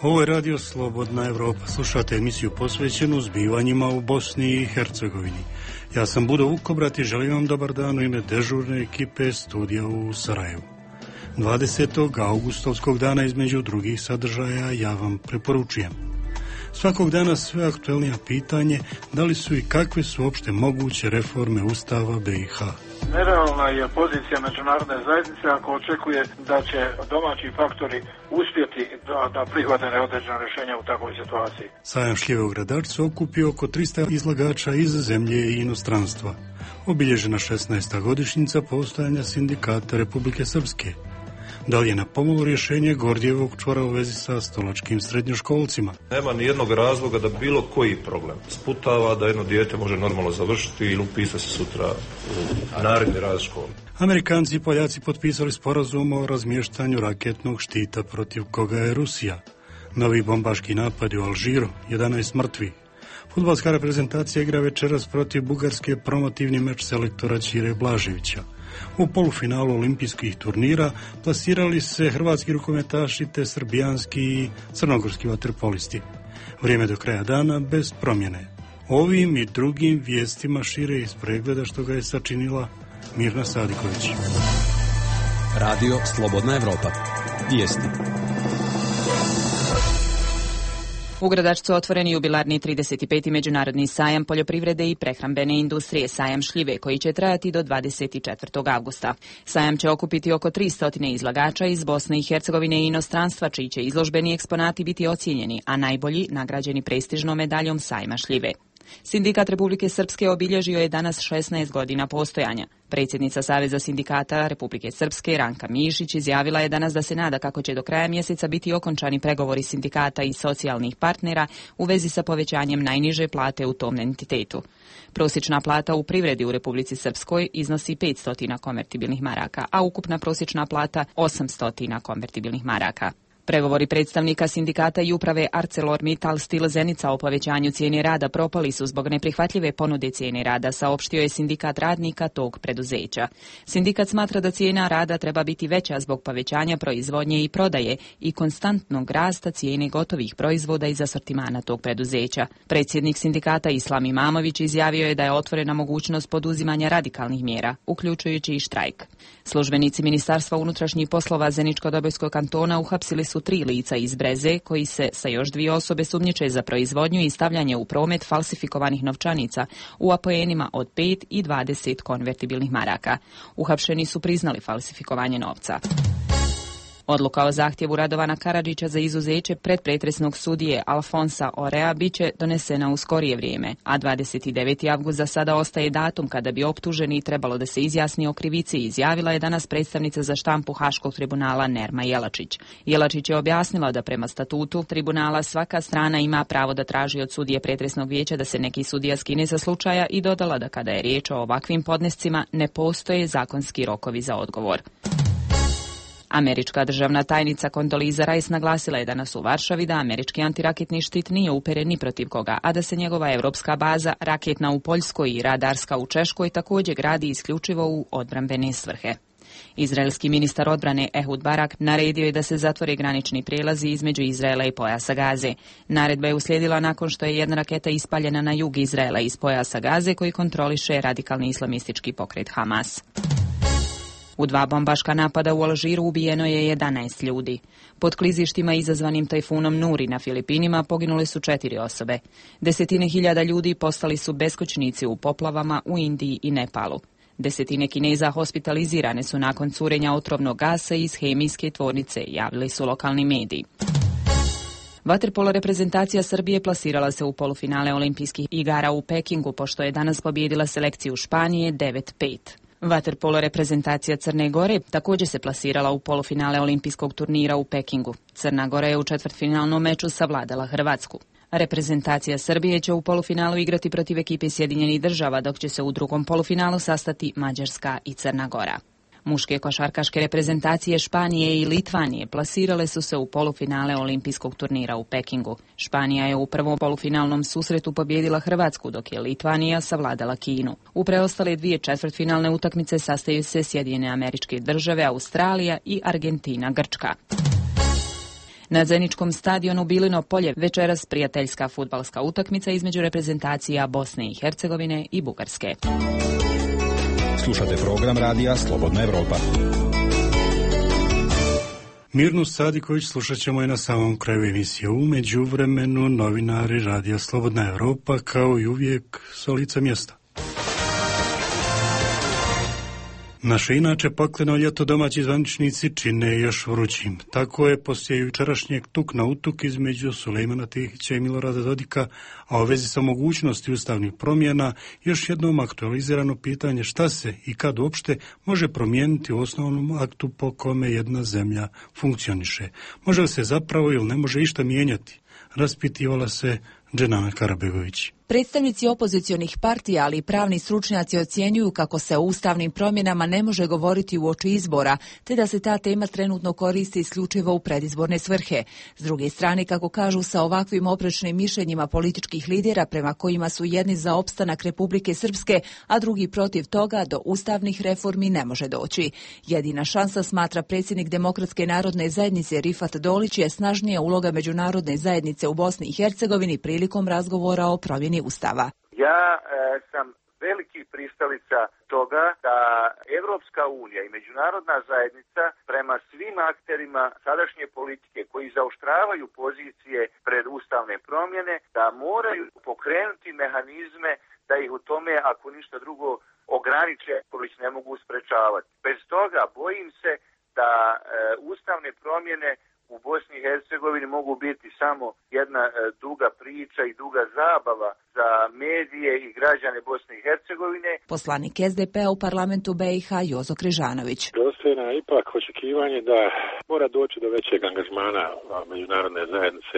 Ovo je Radio Slobodna Evropa. Slušate emisiju posvećenu zbivanjima u Bosni i Hercegovini. Ja sam Budo Vukobrat i želim vam dobar dan u ime dežurne ekipe studija u Sarajevu. 20. augustovskog dana između drugih sadržaja ja vam preporučujem. Svakog dana sve aktuelnija pitanje da li su i kakve su uopšte moguće reforme Ustava BiH. Nerealna je pozicija međunarodne zajednice ako očekuje da će domaći faktori uspjeti da prihvate neodređena rješenja u takvoj situaciji. Sajam šljive u Gradačcu okupio oko 300 izlagača iz zemlje i inostranstva. Obilježena 16. godišnjica postojanja Sindikata Republike Srpske. Da li je na pomolu rješenje Gordijevog čvora u vezi sa stolačkim srednjoškolcima? Nema ni jednog razloga da bilo koji problem sputava da jedno dijete može normalno završiti ili upisati se sutra u naredni raz škole. Amerikanci i Poljaci potpisali sporazum o razmještanju raketnog štita protiv koga je Rusija. Novi bombaški napadi u Alžiru, 11 mrtvih. Fudbalska reprezentacija igra večeras protiv Bugarske promotivni meč selektora Ćire Blaževića. U polufinalu olimpijskih turnira plasirali se hrvatski rukometaši te srbijanski i crnogorski vaterpolisti. Vrijeme do kraja dana bez promjene. Ovim i drugim vijestima šire iz pregleda što ga je sačinila Mirna Sadiković. Radio Slobodna Evropa. Vijesti. U Gradačcu otvoren jubilarni 35. međunarodni sajam poljoprivrede i prehrambene industrije, sajam šljive, koji će trajati do 24. avgusta. Sajam će okupiti oko 300 izlagača iz Bosne i Hercegovine i inostranstva, čiji će izložbeni eksponati biti ocijenjeni, a najbolji nagrađeni prestižnom medaljom sajma šljive. Sindikat Republike Srpske obilježio je danas 16 godina postojanja. Predsjednica Saveza sindikata Republike Srpske, Ranka Mišić, izjavila je danas da se nada kako će do kraja mjeseca biti okončani pregovori sindikata i socijalnih partnera u vezi sa povećanjem najniže plate u tom entitetu. Prosječna plata u privredi u Republici Srpskoj iznosi 500 konvertibilnih maraka, a ukupna prosječna plata 800 konvertibilnih maraka. Pregovori predstavnika sindikata i uprave ArcelorMittal Stil Zenica o povećanju cijene rada propali su zbog neprihvatljive ponude cijene rada, saopštio je sindikat radnika tog preduzeća. Sindikat smatra da cijena rada treba biti veća zbog povećanja proizvodnje i prodaje i konstantnog rasta cijene gotovih proizvoda iz asortimana tog preduzeća. Predsjednik sindikata Islam Imamović izjavio je da je otvorena mogućnost poduzimanja radikalnih mjera, uključujući i štrajk. Službenici Ministarstva unutrašnjih poslova Zeničko-Dobojskog kantona uhapsili su 3 lica iz Breze, koji se sa još 2 osobe sumnjiče za proizvodnju i stavljanje u promet falsifikovanih novčanica u apoenima od 5 i 20 konvertibilnih maraka. Uhapšeni su priznali falsifikovanje novca. Odluka o zahtjevu Radovana Karadžića za izuzeće predpretresnog sudije Alfonsa Orea biće donesena u skorije vrijeme, a 29. avgust za sada ostaje datum kada bi optuženi trebalo da se izjasni o krivici, izjavila je danas predstavnica za štampu Haškog tribunala Nerma Jelačić. Jelačić je objasnila da prema statutu tribunala svaka strana ima pravo da traži od sudije pretresnog vijeća da se neki sudija skine sa slučaja i dodala da kada je riječ o ovakvim podnescima ne postoje zakonski rokovi za odgovor. Američka državna tajnica Condoleezza Rice naglasila je danas u Varšavi da američki antiraketni štit nije uperen ni protiv koga, a da se njegova evropska baza, raketna u Poljskoj i radarska u Češkoj, također gradi isključivo u odbrambene svrhe. Izraelski ministar odbrane Ehud Barak naredio je da se zatvore granični prijelazi između Izraela i pojasa Gaze. Naredba je uslijedila nakon što je jedna raketa ispaljena na jug Izraela iz pojasa Gaze koji kontroliše radikalni islamistički pokret Hamas. U 2 bombaška napada u Alžiru ubijeno je 11 ljudi. Pod klizištima izazvanim tajfunom Nuri na Filipinima poginule su 4 osobe. Desetine hiljada ljudi postali su beskućnici u poplavama u Indiji i Nepalu. Desetine Kineza hospitalizirane su nakon curenja otrovnog gasa iz hemijske tvornice, javili su lokalni mediji. Vaterpolo reprezentacija Srbije plasirala se u polufinale olimpijskih igara u Pekingu, pošto je danas pobijedila selekciju Španije 9-5. Vaterpolo reprezentacija Crne Gore također se plasirala u polufinale olimpijskog turnira u Pekingu. Crna Gora je u četvrtfinalnom meču savladala Hrvatsku. Reprezentacija Srbije će u polufinalu igrati protiv ekipe Sjedinjenih Država, dok će se u drugom polufinalu sastati Mađarska i Crna Gora. Muške košarkaške reprezentacije Španije i Litvanije plasirale su se u polufinale olimpijskog turnira u Pekingu. Španija je u prvom polufinalnom susretu pobijedila Hrvatsku, dok je Litvanija savladala Kinu. U preostale 2 četvrtfinalne utakmice sastaju se Sjedinjene Američke Države, Australija i Argentina, Grčka. Na Zeničkom stadionu Bilino polje večeras prijateljska fudbalska utakmica između reprezentacija Bosne i Hercegovine i Bugarske. Slušate program radija Slobodna Evropa. Mirnu Sadiković slušat ćemo i na samom kraju emisije. U međuvremenu novinari radija Slobodna Evropa kao i uvijek s lica mjesta. Naše inače pakleno ljeto domaći zvaničnici čine još vrućim. Tako je poslije jučerašnjeg tuk na utuk između Sulejmana Tihića i Milorada Dodika, a u vezi sa mogućnosti ustavnih promjena, još jednom aktualizirano pitanje šta se i kad uopšte može promijeniti u osnovnom aktu po kome jedna zemlja funkcioniše. Može li se zapravo ili ne može išta mijenjati? Raspitivala se Dženana Karabegović. Predstavnici opozicionih partija, ali i pravni stručnjaci ocjenjuju kako se o ustavnim promjenama ne može govoriti uoči izbora, te da se ta tema trenutno koristi isključivo u predizborne svrhe. S druge strane, kako kažu, sa ovakvim oprečnim mišljenjima političkih lidera prema kojima su jedni za opstanak Republike Srpske, a drugi protiv toga, do ustavnih reformi ne može doći. Jedina šansa, smatra predsjednik Demokratske narodne zajednice Rifat Dolić, je snažnija uloga međunarodne zajednice u Bosni i Hercegovini prilikom razgovora o promjeni Ustava. Ja sam veliki pristalica toga da Evropska unija i međunarodna zajednica prema svim akterima sadašnje politike koji zaoštravaju pozicije pred ustavne promjene, da moraju pokrenuti mehanizme da ih u tome, ako ništa drugo, ograniče, koji ne mogu sprečavati. Bez toga bojim se da ustavne promjene u Bosni i Hercegovini mogu biti samo jedna duga priča i duga zabava za medije i građane Bosne i Hercegovine. Poslanik SDP-a u parlamentu BiH Jozo Križanović. Dostojno je ipak očekivanje da mora doći do većeg angažmana međunarodne zajednice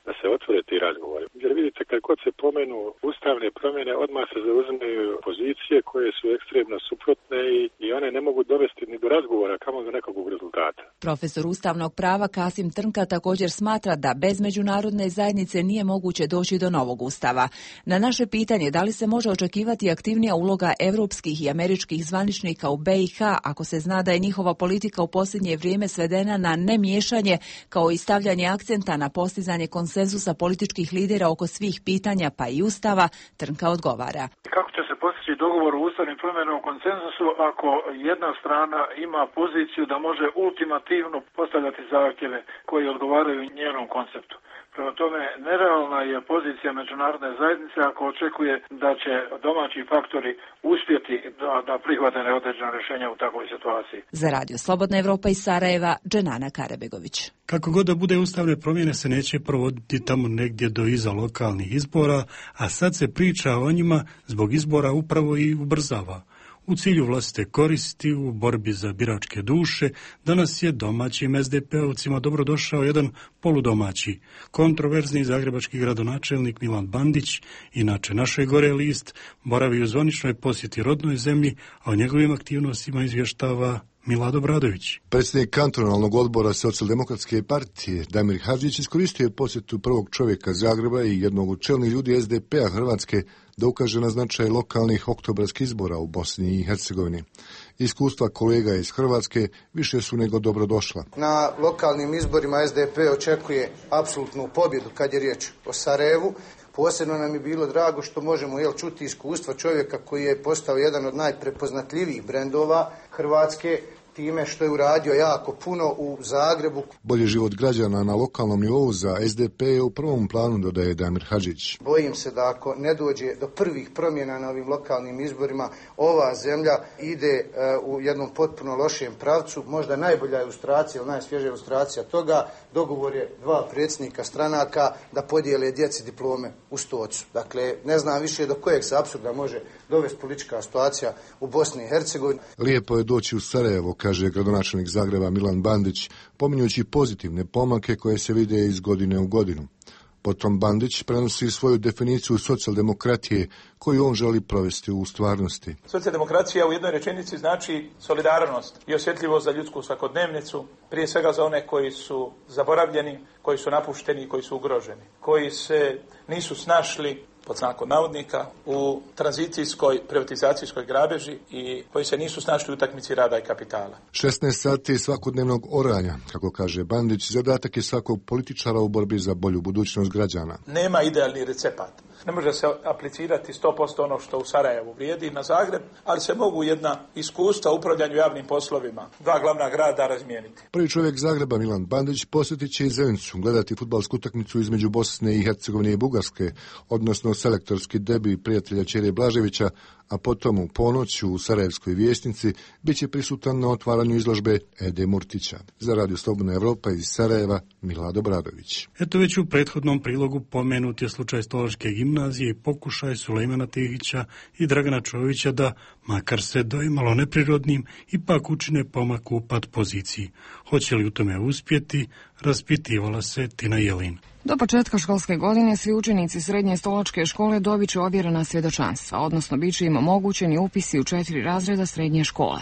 da se otvore ti razgovori. Jer vidite, kad god se pomenu ustavne promjene, odmah se zauzimaju pozicije koje su ekstremno suprotne i one ne mogu dovesti ni do razgovora, kamo do nekog rezultata. Profesor ustavnog prava Kasim Trnka također smatra da bez međunarodne zajednice nije moguće doći do novog ustava. Na naše pitanje da li se može očekivati aktivnija uloga evropskih i američkih zvaničnika u BiH ako se zna da je njihova politika u posljednje vrijeme svedena na nemiješanje kao i stavljanje akcenta na postizanje konsenzusa političkih lidera oko svih pitanja pa i ustava, Trnka odgovara. Kako će se postići dogovor u ustavnim promjenama o konsenzusu ako jedna strana ima poziciju da može ultimativno postavljati zahtjeve koji odgovaraju njenom konceptu? Prema tome, nerealna je pozicija međunarodne zajednice ako očekuje da će domaći faktori uspjeti da prihvate neodređena rješenja u takvoj situaciji. Za Radio Slobodna Evropa iz Sarajeva, Dženana Karabegović. Kako god da bude, ustavne promjene se neće provoditi tamo negdje do iza lokalnih izbora, a sad se priča o njima zbog izbora upravo i ubrzava. U cilju vlastite koristi, u borbi za biračke duše, danas je domaćim SDP-ovcima dobrodošao jedan poludomaći, kontroverzni zagrebački gradonačelnik Milan Bandić, inače naše gore list, boravi u zvaničnoj posjeti rodnoj zemlji, a o njegovim aktivnostima izvještava Milad Obradović. Predsjednik kantonalnog odbora Socijaldemokratske partije Damir Hadžić iskoristio je posjetu prvog čovjeka Zagreba i jednog od čelnih ljudi SDP-a Hrvatske da ukaže na značaj lokalnih oktobarskih izbora u Bosni i Hercegovini. Iskustva kolega iz Hrvatske više su nego dobrodošla. Na lokalnim izborima SDP očekuje apsolutnu pobjedu kad je riječ o Sarajevu. Posebno nam je bilo drago što možemo čuti iskustva čovjeka koji je postao jedan od najprepoznatljivijih brendova Hrvatske time što je uradio jako puno u Zagrebu. Bolji život građana na lokalnom nivou za SDP je u prvom planu, dodaje Damir Hadžić. Bojim se da ako ne dođe do prvih promjena na ovim lokalnim izborima, ova zemlja ide u jednom potpuno lošem pravcu. Možda najbolja ilustracija ili najsvježija ilustracija toga, dogovor je dva predsjednika stranaka da podijele djeci diplome u Stocu. Dakle, ne znam više do kojeg se apsurda može dovesti politička situacija u Bosni i Hercegovini. Lijepo je doći u Sarajevo, kaže gradonačelnik Zagreba Milan Bandić, pominjući pozitivne pomake koje se vide iz godine u godinu. Potom Bandić prenosi svoju definiciju socijaldemokratije koju on želi provesti u stvarnosti. Socijaldemokracija u jednoj rečenici znači solidarnost i osjetljivost za ljudsku svakodnevnicu, prije svega za one koji su zaboravljeni, koji su napušteni i koji su ugroženi, koji se nisu snašli pod znakom navodnika, u tranzicijskoj privatizacijskoj grabeži i koji se nisu snašli u utakmici rada i kapitala. 16 sati svakodnevnog oranja, kako kaže Bandić, zadatak je svakog političara u borbi za bolju budućnost građana. Nema idealni recept. Ne može se aplicirati 100% ono što u Sarajevu vrijedi na Zagreb, ali se mogu jedna iskustva u upravljanju javnim poslovima dva glavna grada razmijeniti. Prvi čovjek Zagreba, Milan Bandić, posjetit će i Zenicu, gledati fudbalsku utakmicu između Bosne i Hercegovine i Bugarske, odnosno selektorski debi prijatelja Ćerije Blaževića, a potom u ponoć u Sarajevskoj vijećnici bit će prisutan na otvaranju izložbe Ede Murtića. Za Radio Slobodna Evropa iz Sarajeva, Milado Bradović. Eto, već u prethodnom prilogu pomenut je slučaj Stolačke gimnazije i pokušaj Sulejmana Tihića i Dragana Čovića da, makar se doimalo neprirodnim, ipak učine pomak u pad poziciji. Hoće li u tome uspjeti, raspitivala se Tina Jelin. Do početka školske godine svi učenici srednje Stolačke škole dobit će ovjerena svjedočanstva, odnosno bit će im omogućeni upisi u 4 razreda srednje škole.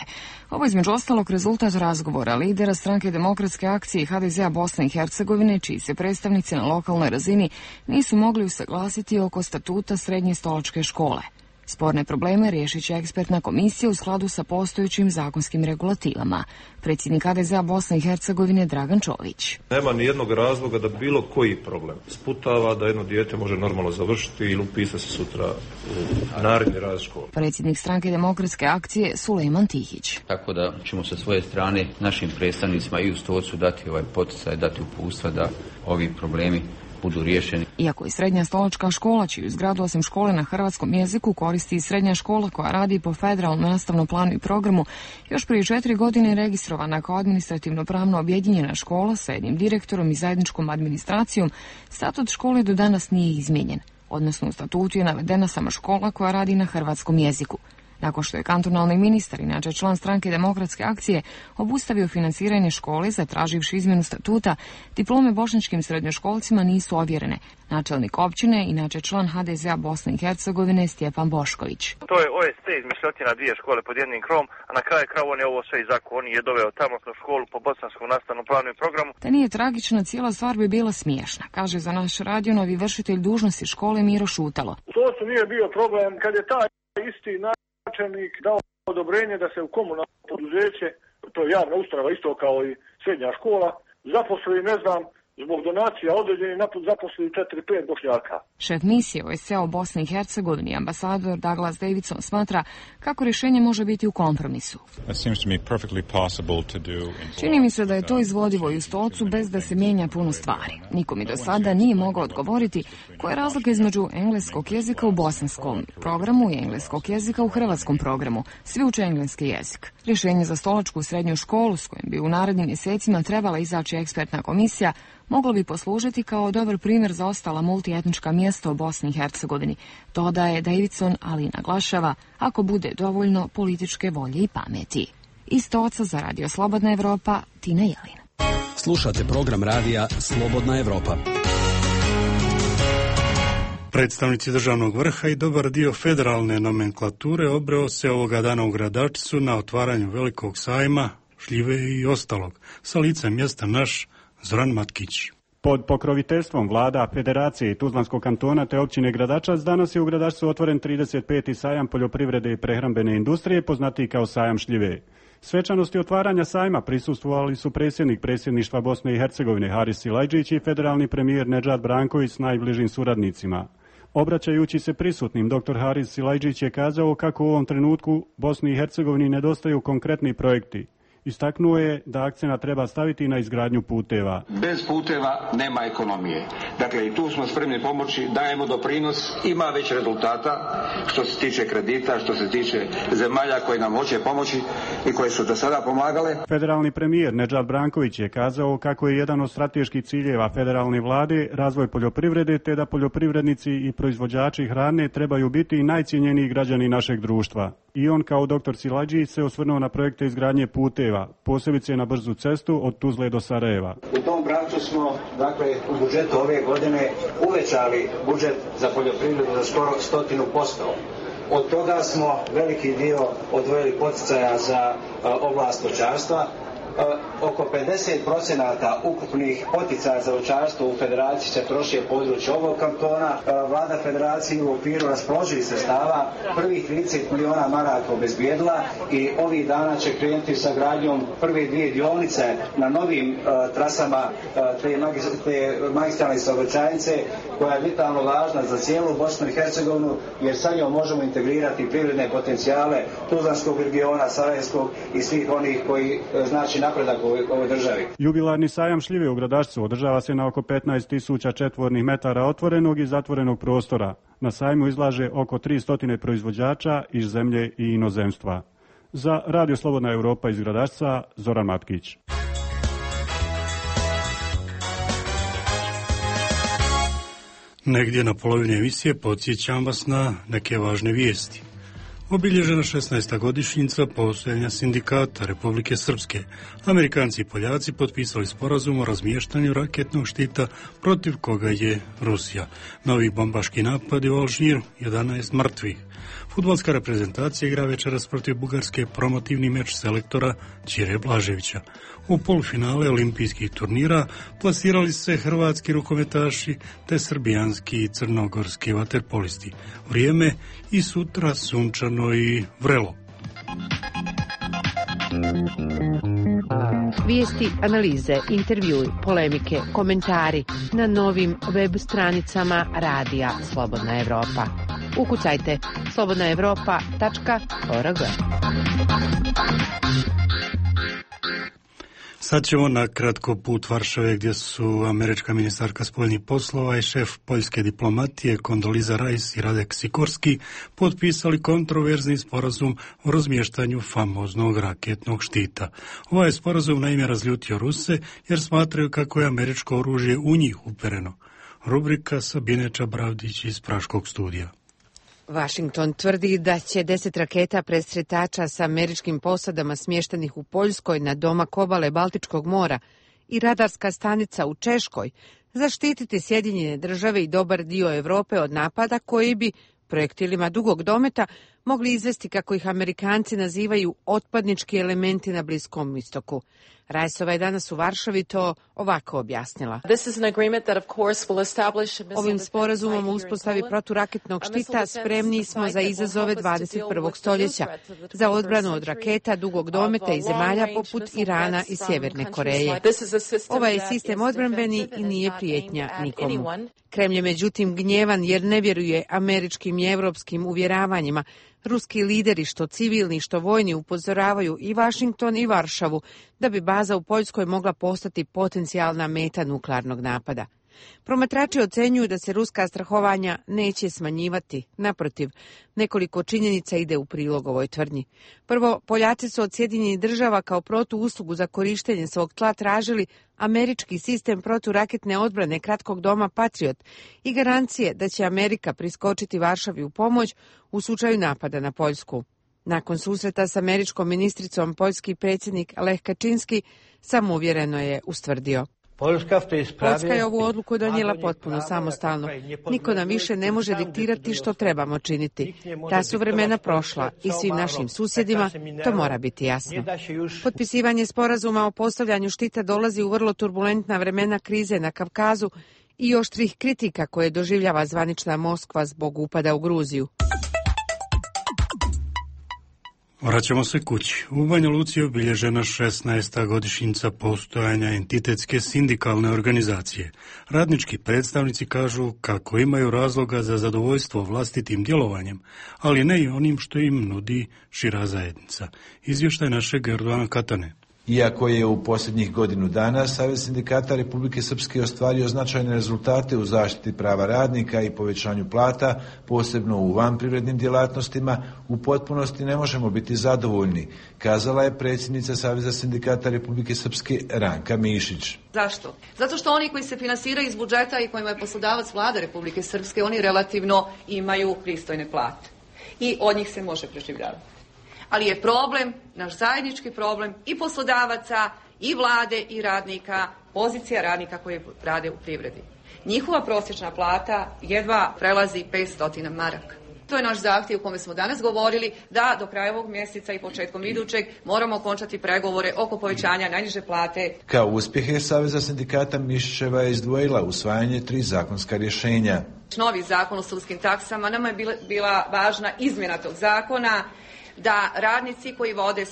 Ovo između ostalog rezultat razgovora lidera stranke Demokratske akcije i HDZ-a Bosne i Hercegovine, čiji se predstavnici na lokalnoj razini nisu mogli usaglasiti oko statuta srednje Stolačke škole. Sporne probleme riješit će ekspertna komisija u skladu sa postojećim zakonskim regulativama. Predsjednik HDZ-a Bosne i Hercegovine Dragan Čović. Nema ni jednog razloga da bilo koji problem sputava da jedno dijete može normalno završiti ili upisati se sutra u naredni razred škole. Predsjednik stranke Demokratske akcije Sulejman Tihić. Tako da ćemo sa svoje strane našim predstavnicima i u Stocu dati ovaj poticaj, dati uputstva da ovi problemi budu riješeni. Iako je srednja Stolačka škola, čiju zgradu osim škole na hrvatskom jeziku koristi i srednja škola koja radi po federalnom nastavnom planu i programu, još prije 4 godine registrovana kao administrativno pravno objedinjena škola sa jednim direktorom i zajedničkom administracijom, statut škole do danas nije izmijenjen, odnosno u statutu je navedena samo škola koja radi na hrvatskom jeziku. Nakon što je kantonalni ministar, inače član stranke Demokratske akcije, obustavio financiranje škole zatraživši izmjenu statuta, diplome bošnjačkim srednjoškolcima nisu ovjerene. Načelnik općine, inače član HDZ-a Bosne i Hercegovine, Stjepan Bošković. To je OST izmišljotina 2 škole pod jednim krovom, a na kraju kraju on je ovo sve izako. On je doveo tamosnu školu po bosanskom nastavnom planu i programu. Da nije tragična, cijela stvar bi bila smiješna, kaže za naš radio novi vršitelj dužnosti škole Miro Šutalo. To se nije bio problem kad je taj isti načelnik dao odobrenje da se u komunalno poduzeće, to je javna ustanova isto kao i srednja škola, zaposli, ne znam, zbog donacija određeni zaposli 4-5 Bošnjaka. Šef misije OSCE u Bosni i Hercegovini, ambasador Douglas Davidson, smatra kako rješenje može biti u kompromisu. Čini mi se da je to izvodivo i u Stolcu bez da se mijenja puno stvari. Niko mi do sada nije mogao odgovoriti koja je razlika između engleskog jezika u bosanskom programu i engleskog jezika u hrvatskom programu. Svi uče engleski jezik. Rješenje za Stolačku srednju školu, s kojim bi u narednim mjesecima trebala izaći ekspertna komisija, moglo bi poslužiti kao dobar primjer za ostala multietnička mjesta u Bosni i Hercegovini. Dodaje Davidson, ali naglašava ako bude dovoljno političke volje i pameti. Iz Stoca za Radio Slobodna Evropa, Tina Jelin. Slušate program radija Slobodna Evropa. Predstavnici državnog vrha i dobar dio federalne nomenklature obreo se ovoga dana u Gradačcu na otvaranju velikog sajma, šljive i ostalog. Sa lica mjesta naš Zoran Matkić. Pod pokroviteljstvom vlada, federacije i Tuzlanskog kantona te općine Gradačac danas je u Gradačcu otvoren 35. sajam poljoprivrede i prehrambene industrije, poznatiji kao sajam šljive. Svečanosti otvaranja sajma prisustvovali su predsjednik predsjedništva Bosne i Hercegovine Haris Silajdžić i federalni premijer Nedžad Branković s najbližim suradnicima. Obraćajući se prisutnim, dr. Haris Silajdžić je kazao kako u ovom trenutku Bosni i Hercegovini nedostaju konkretni projekti. Istaknuo je da akcent treba staviti na izgradnju puteva. Bez puteva nema ekonomije. Dakle, i tu smo spremni pomoći, dajemo doprinos, ima već rezultata što se tiče kredita, što se tiče zemalja koje nam hoće pomoći i koje su do sada pomagale. Federalni premijer Nedžad Branković je kazao kako je jedan od strateških ciljeva federalne vlade razvoj poljoprivrede, te da poljoprivrednici i proizvođači hrane trebaju biti najcijenjeniji građani našeg društva. I on kao dr. Silajdžić se osvrnuo na projekte izgradnje puteva, posebice na brzu cestu od Tuzle do Sarajeva. U tom pravcu smo, dakle, u budžetu ove godine uvećali budžet za poljoprivredu za skoro 100%. Od toga smo veliki dio odvojili poticaja za oblast stočarstva. oko 50% ukupnih poticaja za voćarstvo u federaciji se troši u području ovog kantona. Vlada federacije u okviru raspoloživih sredstava prvih 30 miliona maraka obezbijedila i ovih dana će krenuti sa gradnjom prve 2 dionice na novim trasama te magistralne saobraćajnice, koja je vitalno važna za cijelu Bosnu i Hercegovinu, jer sa njom možemo integrirati privredne potencijale Tuzlanskog regiona, Sarajevskog i svih onih koji znači napredak u ovoj državi. Jubilarni sajam šljive u Gradačcu održava se na oko 15.000 četvornih metara otvorenog i zatvorenog prostora. Na sajmu izlaže oko 300 proizvođača iz zemlje i inozemstva. Za Radio Slobodna Evropa iz Gradačca, Zoran Matkić. Negdje na polovini emisije podsjećam vas na neke važne vijesti. Obilježena 16. godišnjica postojanja sindikata Republike Srpske. Amerikanci i Poljaci potpisali sporazum o razmještanju raketnog štita protiv koga je Rusija. Novi bombaški napadi u Alžiru, 11 mrtvih. Fudbalska reprezentacija igra večeras protiv Bugarske promotivni meč selektora Ćire Blaževića. U polufinale olimpijskih turnira plasirali se hrvatski rukometaši te srbijanski i crnogorski vaterpolisti. Vrijeme i sutra sunčano i vrelo. Vijesti, analize, intervjui, polemike, komentari na novim web stranicama Radija Slobodna Evropa. Ukucajte slobodnaevropa.org. Sad ćemo na kratko put Varšave, gdje su američka ministarka spoljnih poslova i šef poljske diplomatije Kondoliza Rice i Radek Sikorski potpisali kontroverzni sporazum o razmještanju famoznog raketnog štita. Ovaj sporazum naime razljutio Ruse jer smatraju kako je američko oružje u njih upereno. Rubrika Sabine Čabravdić iz Praškog studija. Washington tvrdi da će 10 raketa presretača sa američkim posadama smještenih u Poljskoj na domak obale Baltičkog mora i radarska stanica u Češkoj zaštititi Sjedinjene Države i dobar dio Europe od napada koji bi projektilima dugog dometa mogli izvesti, kako ih Amerikanci nazivaju, otpadnički elementi na Bliskom istoku. Rajsova je danas u Varšavi to ovako objasnila. Ovim sporazumom o uspostavi proturaketnog štita spremni smo za izazove 21. stoljeća, za odbranu od raketa dugog dometa i zemalja poput Irana i Sjeverne Koreje. Ovaj je sistem odbrambeni i nije prijetnja nikomu. Kremlj je međutim gnjevan jer ne vjeruje američkim i evropskim uvjeravanjima. Ruski lideri, što civilni, što vojni, upozoravaju i Washington i Varšavu da bi baza u Poljskoj mogla postati potencijalna meta nuklearnog napada. Promatrači ocenjuju da se ruska strahovanja neće smanjivati. Naprotiv, nekoliko činjenica ide u prilog ovoj tvrdnji. Prvo, Poljaci su od Sjedinjenih Država kao protuuslugu za korištenje svog tla tražili američki sistem proturaketne odbrane kratkog doma Patriot i garancije da će Amerika priskočiti Varšavi u pomoć u slučaju napada na Poljsku. Nakon susreta s američkom ministricom, poljski predsjednik Lech Kaczynski samouvjereno je ustvrdio: Poljska je ovu odluku donijela potpuno samostalno. Niko nam više ne može diktirati što trebamo činiti. Ta su vremena prošla i svim našim susjedima to mora biti jasno. Potpisivanje sporazuma o postavljanju štita dolazi u vrlo turbulentna vremena krize na Kavkazu i oštrih kritika koje doživljava zvanična Moskva zbog upada u Gruziju. Vraćamo se kući. U Banja Luci je obilježena 16. godišnjica postojanja entitetske sindikalne organizacije. Radnički predstavnici kažu kako imaju razloga za zadovoljstvo vlastitim djelovanjem, ali ne i onim što im nudi šira zajednica. Izvještaj našeg Erdovana Katane. Iako je u posljednjih godinu dana Savez sindikata Republike Srpske ostvario značajne rezultate u zaštiti prava radnika i povećanju plata, posebno u vanprivrednim djelatnostima, u potpunosti ne možemo biti zadovoljni, kazala je predsjednica Saveza sindikata Republike Srpske Ranka Mišić. Zašto? Zato što oni koji se finansiraju iz budžeta i kojima je poslodavac Vlada Republike Srpske, oni relativno imaju pristojne plate i od njih se može preživljavati. Ali je problem, naš zajednički problem i poslodavaca, i vlade, i radnika, pozicija radnika koji rade u privredi. Njihova prosječna plata jedva prelazi 500 maraka. To je naš zahtjev u kome smo danas govorili da do kraja ovog mjeseca i početkom idućeg moramo okončati pregovore oko povećanja najniže plate. Kao uspjehe Saveza sindikata Mišićeva je izdvojila usvajanje 3 zakonska rješenja. Novi zakon o sudskim taksama, nama je bila važna izmjena tog zakona, da radnici koji vode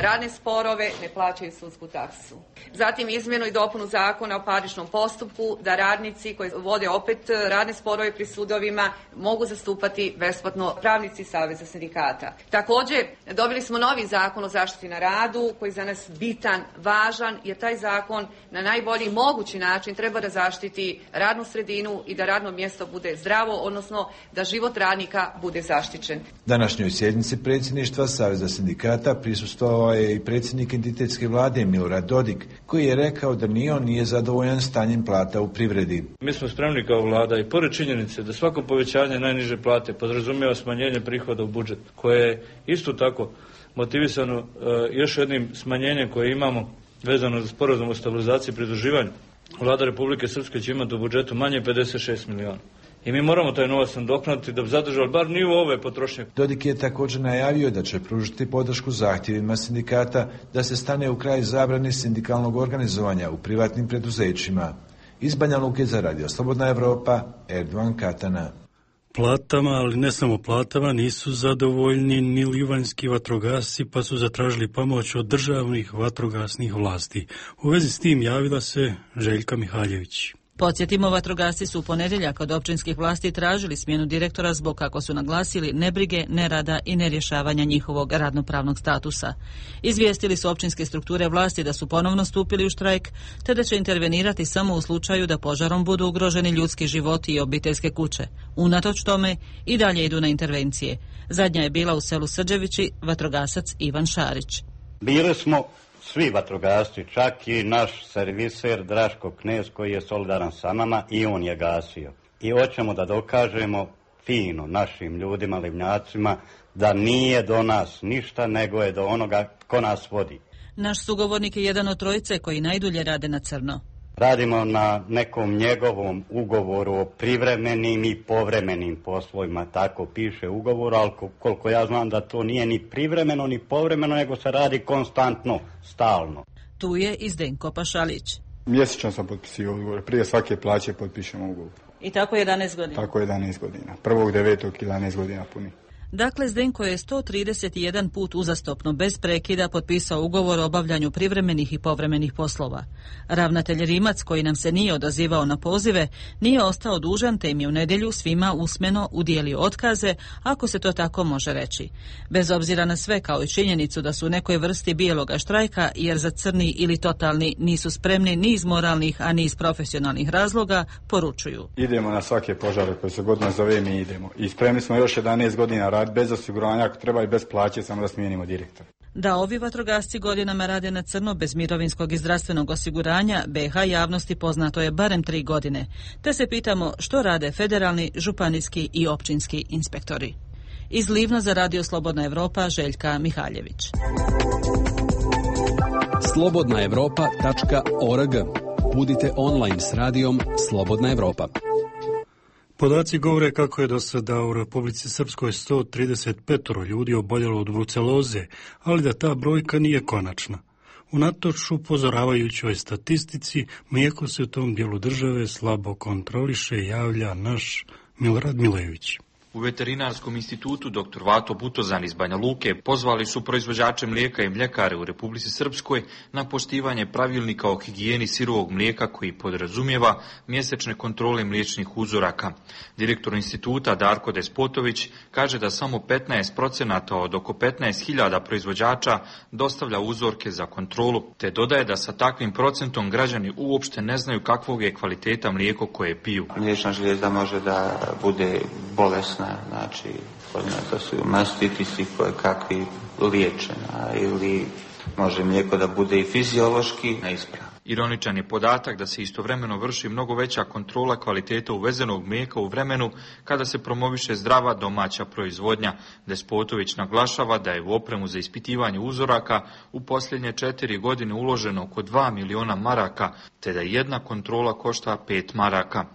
radne sporove ne plaćaju sudsku taksu. Zatim izmjenu i dopunu zakona o parničnom postupku, da radnici koji vode opet radne sporove pri sudovima mogu zastupati besplatno pravnici Saveza sindikata. Također dobili smo novi zakon o zaštiti na radu koji je za nas bitan, važan, jer taj zakon na najbolji mogući način treba da zaštiti radnu sredinu i da radno mjesto bude zdravo, odnosno da život radnika bude zaštićen. Današnjoj sjednici predsjedništva Saveza sindikata prisustvovao je i predsjednik entitetske vlade Milorad Dodik, koji je rekao da ni on nije zadovoljan stanjem plata u privredi. Mi smo spremni kao vlada i pored činjenice da svako povećanje najniže plate podrazumijeva smanjenje prihoda u budžet, koje je isto tako motivisano još jednim smanjenjem koje imamo vezano za sporazum o stabilizaciji i pridruživanju. Vlada Republike Srpske će imati u budžetu manje 56 miliona. I mi moramo taj novac nadoknaditi da bi zadržali bar nivo ove potrošnje. Dodik je također najavio da će pružiti podršku zahtjevima sindikata da se stane u kraj zabrani sindikalnog organizovanja u privatnim preduzećima. Iz Banja Luke za Radio Slobodna Evropa, Erdogan Katana. Platama, ali ne samo platama, nisu zadovoljni ni livanjski vatrogasci, pa su zatražili pomoć od državnih vatrogasnih vlasti. U vezi s tim javila se Željka Mihaljević. Podsjetimo, vatrogasci su u ponedjeljak od općinskih vlasti tražili smjenu direktora zbog, kako su naglasili, nebrige, nerada i nerješavanja njihovog radnopravnog statusa. Izvijestili su općinske strukture vlasti da su ponovno stupili u štrajk, te da će intervenirati samo u slučaju da požarom budu ugroženi ljudski životi i obiteljske kuće. Unatoč tome i dalje idu na intervencije. Zadnja je bila u selu Srđevići, vatrogasac Ivan Šarić. Bili smo svi vatrogasci, čak i naš serviser Draško Knez koji je solidaran sa nama i on je gasio. I hoćemo da dokažemo fino našim ljudima, livnjacima, da nije do nas ništa, nego je do onoga ko nas vodi. Naš sugovornik je jedan od trojice koji najdulje rade na crno. Radimo na nekom njegovom ugovoru o privremenim i povremenim poslovima, tako piše ugovor, ali koliko ja znam da to nije ni privremeno ni povremeno, nego se radi konstantno, stalno. Tu je i Zdenko Pašalić. Mjesečno sam potpisio ugovor, prije svake plaće potpišemo ugovor. I tako 11 godina? Tako 11 godina, 1.9. 11 godina puni. Dakle, Zdenko je 131 put uzastopno bez prekida potpisao ugovor o obavljanju privremenih i povremenih poslova. Ravnatelj Rimac, koji nam se nije odazivao na pozive, nije ostao dužan, te im je u nedjelju svima usmeno udijelio otkaze, ako se to tako može reći. Bez obzira na sve, kao i činjenicu da su u nekoj vrsti bijeloga štrajka, jer za crni ili totalni nisu spremni ni iz moralnih, a ni iz profesionalnih razloga, poručuju. Idemo na svake požare koje se god nazove, mi idemo. I spremni smo još 11 godina raditi bez osiguranja, ako treba i bez plaće, samo da smijenimo direktora. Da ovi vatrogasci godinama rade na crno bez mirovinskog i zdravstvenog osiguranja, BiH javnosti poznato je barem 3 godine. Te se pitamo što rade federalni, županijski i općinski inspektori. Iz Livna za Radio Slobodna Evropa, Željka Mihaljević. slobodnaevropa.org. Budite online s radijom Slobodna Evropa. Podaci govore kako je do sada u Republici Srpskoj 135 ljudi oboljelo od bruceloze, ali da ta brojka nije konačna. Unatoč upozoravajućoj statistici, mlijeko se u tom dijelu države slabo kontroliše, javlja naš Milorad Milević. U Veterinarskom institutu dr. Vato Butozan iz Banja Luke pozvali su proizvođače mlijeka i mljekare u Republici Srpskoj na poštivanje pravilnika o higijeni sirovog mlijeka koji podrazumijeva mjesečne kontrole mliječnih uzoraka. Direktor instituta Darko Despotović kaže da samo 15% od oko 15.000 proizvođača dostavlja uzorke za kontrolu, te dodaje da sa takvim procentom građani uopšte ne znaju kakvog je kvaliteta mlijeko koje piju. Mliječna žlijezda može da bude bolesna, znači to su mastitisi koje kakvi liječena, ili može mlijeko da bude i fiziološki neispravno. Ironičan je podatak da se istovremeno vrši mnogo veća kontrola kvaliteta uvezenog mlijeka u vremenu kada se promoviše zdrava domaća proizvodnja. Despotović naglašava da je u opremu za ispitivanje uzoraka u posljednje 4 godine uloženo oko 2 miliona maraka, te da jedna kontrola košta 5 maraka.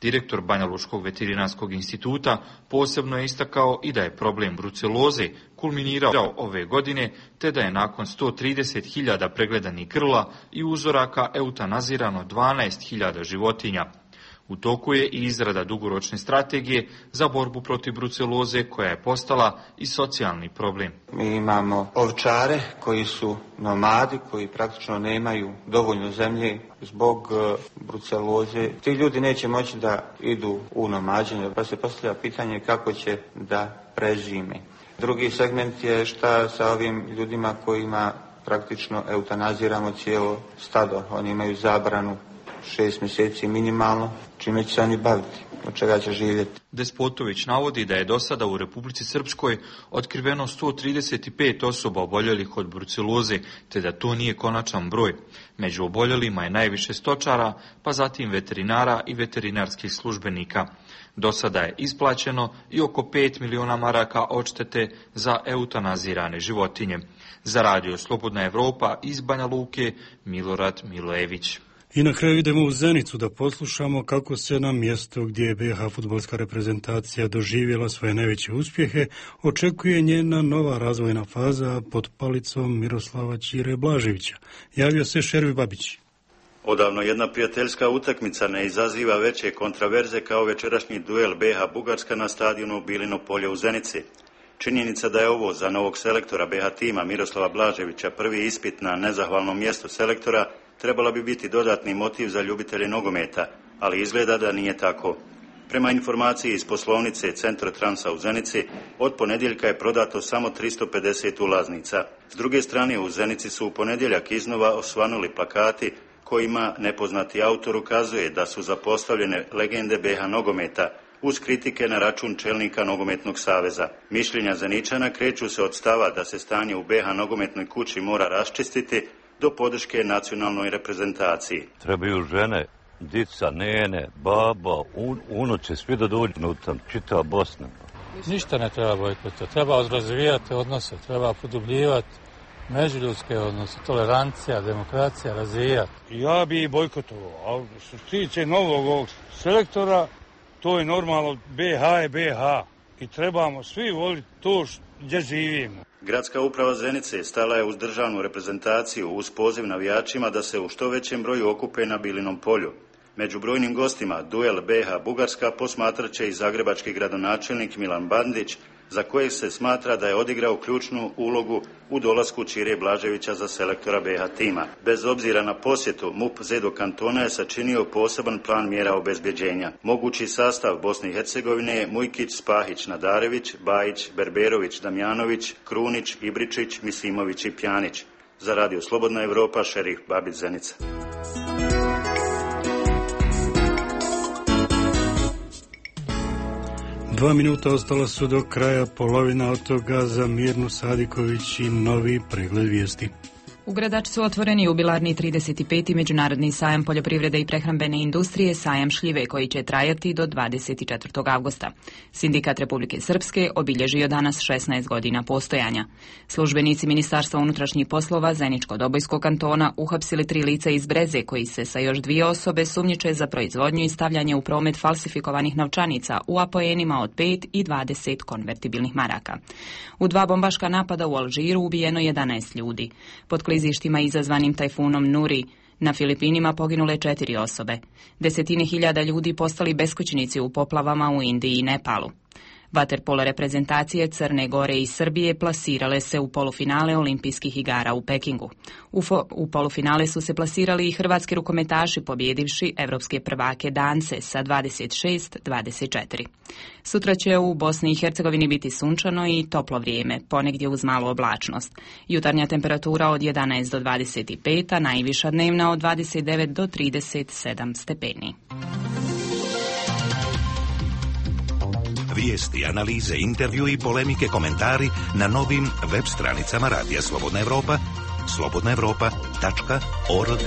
Direktor Banjalučkog veterinarskog instituta posebno je istakao i da je problem bruceloze kulminirao ove godine, te da je nakon 130.000 pregledanih grla i uzoraka eutanazirano 12.000 životinja. U toku je i izrada dugoročne strategije za borbu protiv bruceloze koja je postala i socijalni problem. Mi imamo ovčare koji su nomadi, koji praktično nemaju dovoljno zemlje zbog bruceloze. Ti ljudi neće moći da idu u nomađenje, pa se postavlja pitanje kako će da prežime. Drugi segment je šta sa ovim ljudima kojima praktično eutanaziramo cijelo stado. Oni imaju zabranu 6 mjeseci minimalno, čime će se oni baviti, od čega će živjeti. Despotović navodi da je do sada u Republici Srpskoj otkriveno 135 osoba oboljelih od bruceloze, te da to nije konačan broj. Među oboljelima je najviše stočara, pa zatim veterinara i veterinarskih službenika. Do sada je isplaćeno i oko 5 miliona maraka odštete za eutanazirane životinje. Za radio Slobodna Evropa iz Banja Luke, Milorad Milojević. I na kraju idemo u Zenicu da poslušamo kako se na mjestu gdje je BiH fudbalska reprezentacija doživjela svoje najveće uspjehe očekuje njena nova razvojna faza pod palicom Miroslava Ćire Blaževića. Javio se Šervi Babić. Odavno jedna prijateljska utakmica ne izaziva veće kontraverze kao večerašnji duel BiH-Bugarska na stadionu Bilino polje u Zenici. Činjenica da je ovo za novog selektora BiH tima Miroslava Blaževića prvi ispit na nezahvalnom mjestu selektora trebala bi biti dodatni motiv za ljubitelje nogometa, ali izgleda da nije tako. Prema informaciji iz poslovnice Centra Transa u Zenici, od ponedjeljka je prodato samo 350 ulaznica. S druge strane, u Zenici su u ponedjeljak iznova osvanuli plakati kojima nepoznati autor ukazuje da su zapostavljene legende BiH nogometa, uz kritike na račun čelnika Nogometnog saveza. Mišljenja Zeničana kreću se od stava da se stanje u BiH nogometnoj kući mora raščistiti do podrške nacionalnoj reprezentaciji. Trebaju žene, dica, nene, baba, unuče, svi da dođu unutra, čitava Bosna. Ništa ne treba bojkotovati, treba razvijati odnose, treba produbljivati međuljudske odnose, tolerancija, demokracija, razvijati. Ja bi bojkotovao, a što se tiče novog ovog selektora, to je normalno, BiH je BiH i trebamo svi voliti to gdje živimo. Gradska uprava Zenice stala je uz državnu reprezentaciju uz poziv navijačima da se u što većem broju okupe na Bilinom polju. Među brojnim gostima duel BiH-Bugarska posmatrat će i zagrebački gradonačelnik Milan Bandić, za kojeg se smatra da je odigrao ključnu ulogu u dolasku Ćire Blaževića za selektora BiH tima. Bez obzira na posjetu, MUP Zedo kantona je sačinio poseban plan mjera obezbjeđenja. Mogući sastav Bosne i Hercegovine je Mujkić, Spahić, Nadarević, Bajić, Berberović, Damjanović, Krunić, Ibričić, Misimović i Pjanić. Za radio Slobodna Evropa, Šerif Babić, Zenica. 2 minuta ostala su do kraja, polovina od toga za Mirnu Sadiković i novi pregled vijesti. U Gradačcu otvoreni jubilarni 35. međunarodni sajam poljoprivrede i prehrambene industrije, sajam šljive, koji će trajati do 24. avgusta. Sindikat Republike Srpske obilježio danas 16 godina postojanja. Službenici Ministarstva unutrašnjih poslova Zeničko-Dobojskog kantona uhapsili 3 lica iz Breze, koji se sa još 2 osobe sumnjiče za proizvodnju i stavljanje u promet falsifikovanih novčanica u apoenima od 5 i 20 konvertibilnih maraka. U 2 bombaška napada u Alžiru ubijeno 11 ljudi. Pod klizištima izazvanim tajfunom Nuri na Filipinima poginule 4 osobe. Desetine hiljada ljudi postali beskućnici u poplavama u Indiji i Nepalu. Vaterpolo reprezentacije Crne Gore i Srbije plasirale se u polufinale olimpijskih igara u Pekingu. U polufinale su se plasirali i hrvatski rukometaši, pobjedivši evropske prvake Dance sa 26-24. Sutra će u Bosni i Hercegovini biti sunčano i toplo vrijeme, ponegdje uz malu oblačnost. Jutarnja temperatura od 11 do 25, a najviša dnevna od 29 do 37 stepeni. Vijesti, analize, intervju i polemike, komentari na novim web stranicama Radija Slobodna Evropa, slobodnaevropa.org.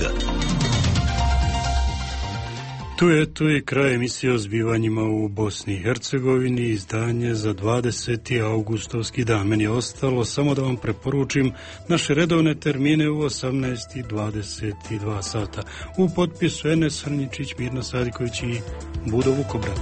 Tu je kraj emisije o zbivanjima u Bosni i Hercegovini, izdanje za 20. augustovski dan. Meni je ostalo samo da vam preporučim naše redovne termine u 18:22 sata. U potpisu Enes Hrničić, Mirna Sadiković i Budo Vukobrat.